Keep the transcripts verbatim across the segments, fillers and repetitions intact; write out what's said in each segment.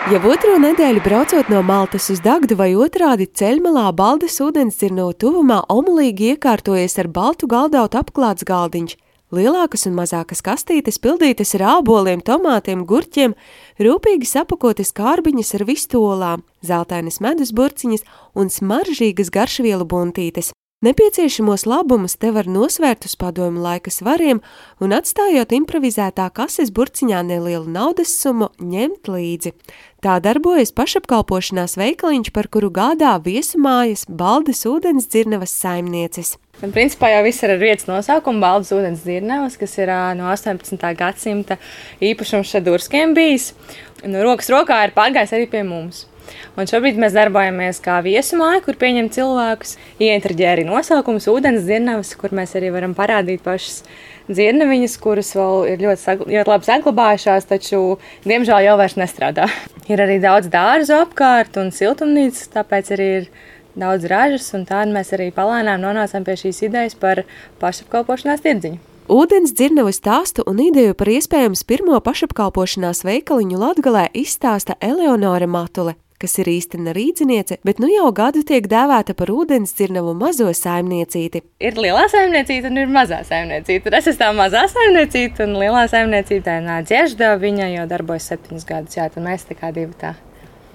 Jau otro nedēļu braucot no Maltas uz Dagdu vai otrādi ceļmalā Baldes ūdensdzirnavu tuvumā omulīgi iekārtojies ar baltu galdautu apklāts galdiņš. Lielākas un mazākas kastītes pildītas ar āboliem, tomātiem, gurķiem, rūpīgi sapakotas kārbiņas ar vistolām, zeltainas medus burciņas un smaržīgas garšvielu buntītes. Nepieciešamos labumus te var nosvērt uz padomju laika svariem un atstājot improvizētā kases burciņā nelielu naudas summu ņemt līdzi. Tā darbojas pašapkalpošanās veikaliņš, par kuru gādā viesumājas Baldes ūdensdzirnavas saimnieces. Un, principā jau viss ir ar vietas nosaukumu Baldes ūdensdzirnavas, kas ir no astoņpadsmitā gadsimta īpašums Šadurskiem bijis. Un rokas rokā ir pārgājis arī pie mums. Un šobrīd mēs darbojamies kā viesumāja, kur pieņem cilvēkus. Ieintriģē arī nosaukums ūdensdzirnavas, kur mēs arī varam parādīt pašas dzirnaviņas, kuras vēl ir ļoti, ļoti labi saglabājušās, taču diemžēl jau vairs nestrādā. Ir arī daudz dārzu apkārt un siltumnīcas, tāpēc arī ir daudz ražas, un tādi mēs arī palēnām nonācām pie šīs idejas par pašapkalpošanās tirdziņu. Ūdensdzirnavu stāstu un ideju par iespējams pirmo pašapkalpošanās veikaliņu Latgalē izstāsta Eleonora Matule, kas ir īstena rīdziniece, bet nu jau gadu tiek dēvēta par ūdensdzirnavu mazo saimniecīti. Ir lielā saimniecīte un ir mazā saimniecīte. Es esmu tā mazā saimniecīte un lielā saimniecīte Dziežda, viņa jau darbojas septiņus gadus, jā, tad mēs tā kā divi tā.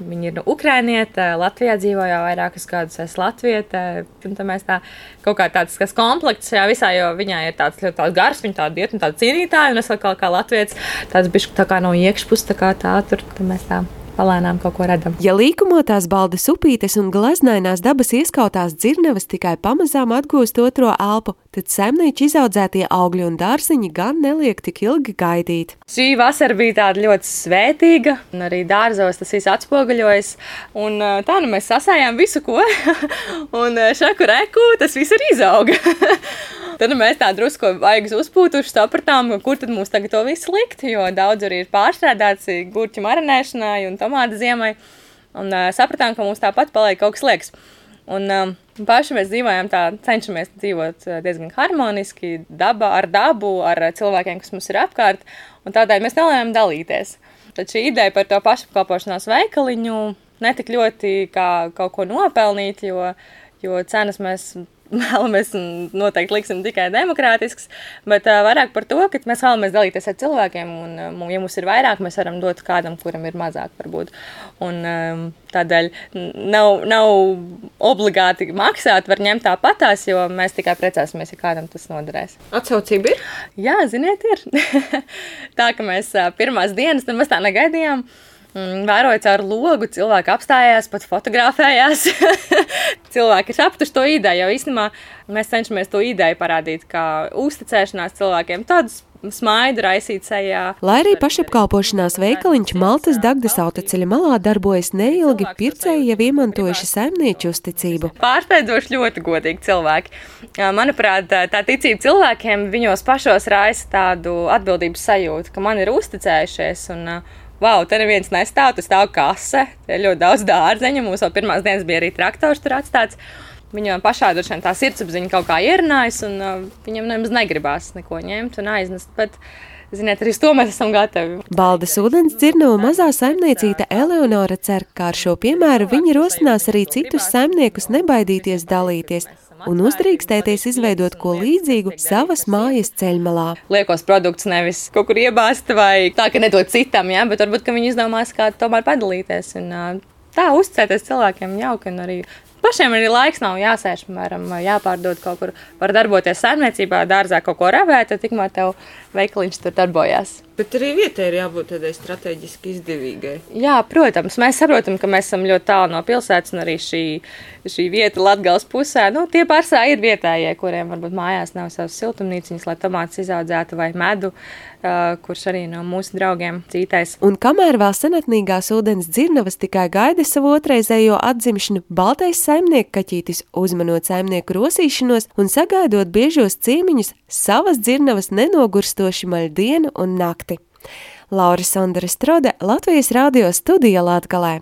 Viņa ir ukrainiete, Latvijā dzīvo jau vairākus gadus, es latviete, un tad mēs tā kaut kā tāds kas komplekts šajā visā, jo viņai ir tāds ļoti tāds gars, viņa tāda diet un tāda cīnītāja, un es vēl kā, kā latvietis tāds bišķi tā kā no iekšpus, tā kā tā, tur, tad mēs tā palēnām kaut ko redam. Ja līkumotās Baldes upītes un glaznainās dabas ieskautās dzirnavas tikai pamazām atgūst otro elpu, tad saimnieču izaudzētie augļi un dārziņi gan neliek tik ilgi gaidīt. Šī vasara bija tāda ļoti svētīga, un arī dārzos tas viss atspoguļojas, un tā nu mēs sasējām visu ko, un šaku reku tas viss ir izauga. Tad mēs tā drusku vaigas uzpūtuši sapratām, kur tad mums tagad to visu likt, jo daudz arī ir pārstrādāts gurķu marinēšanai un tomātu ziemai, un uh, sapratām, ka mums tāpat paliek kaut kas liekas. Un um, paši mēs dzīvojam tā, cenšamies dzīvot diezgan harmoniski, daba, ar dabu, ar cilvēkiem, kas mums ir apkārt, un tādēļ mēs nelējām dalīties. Tad šī ideja par to pašapkalpošanās veikaliņu netik ļoti kā kaut ko nopelnīt, jo, jo cenas mēs vēlamies noteikti liksim tikai demokrātisks, bet uh, vairāk par to, ka mēs vēlamies dalīties ar cilvēkiem, un, um, ja mums ir vairāk, mēs varam dot kādam, kuram ir mazāk varbūt. Un um, tādēļ nav, nav obligāti maksāt, var ņemt tāpatās, jo mēs tikai precēsimies, ja kādam tas noderēs. Atsaucība ir? Jā, ziniet, ir. Tā, ka mēs uh, pirmās dienas, tad mēs tā negaidījām. Vēroja caur logu, cilvēki apstājās, pat fotografējās. Cilvēki ir aptuši to ideju, jo īstenībā mēs cenšamies to ideju parādīt, kā uzticēšanās cilvēkiem, tādus smaidu raisīt sejā. Lai arī pašapkalpošanās veikaliņš Maltas Dagdas autoceļa malā darbojas neilgi, pircēji jau iemantojuši saimnieču uzticību. Pārsteidzoši ļoti godīgi cilvēki. Manuprāt, tā ticība cilvēkiem viņos pašos raisa tādu atbildības sajūtu, ka man ir uzticējušies un Vau, te neviens nestāv, tas stāv kase, te ir ļoti daudz dārzeņu, mums vēl pirmās dienas bija arī traktors tur atstāts. Viņam pašā droši vien tā sirdsapziņa kaut kā ierunājas, un uh, viņam nemaz negribās neko ņemt un aiznest, bet, ziniet, arī uz to mēs esam gatavi. Baldes ūdensdzirnavu mazā saimniecīte Eleonora cer, ka ar šo piemēru viņi rosinās arī citus saimniekus nebaidīties dalīties un uzdrīkstēties izveidot ko līdzīgu savas mājas ceļmalā. Liekos produktus nevis kaut kur iebāzt vai tā, ka nedod citam, ja? Bet varbūt, ka viņi izdomās kā tomēr padalīties. Un, tā, uzticēties cilvēkiem jauki un arī pašiem arī laiks nav jāsēž, piemēram, jāpārdod kaut kur, var darboties saimniecībā, dārzā kaut ko ravēt, tad tikmēr tev veikaliņš tur darbojās. Bet arī vietai ir jābūt tādai strateģiski izdevīgai. Jā, protams, mēs saprotam, ka mēs esam ļoti tālu no pilsētas un arī šī, šī vieta Latgales pusē. Nu, tie pārsvarā ir vietējie, kuriem varbūt mājās nav savas siltumnīciņas, lai tomātus izaudzētu vai medu, uh, kurš arī no mūsu draugiem cītais. Un kamēr vēl senatnīgās ūdensdzirnavas tikai gaida savu otrreizējo atzimšanu, baltais saimnieku kaķītis uzmanot saimnieku rosīšanos un sagaidot biežos ciemiņus, savas dzirnavas nenogurstoši maļ dienu un nakti. Laura Sondere Strode, Latvijas radio studija Latgalē.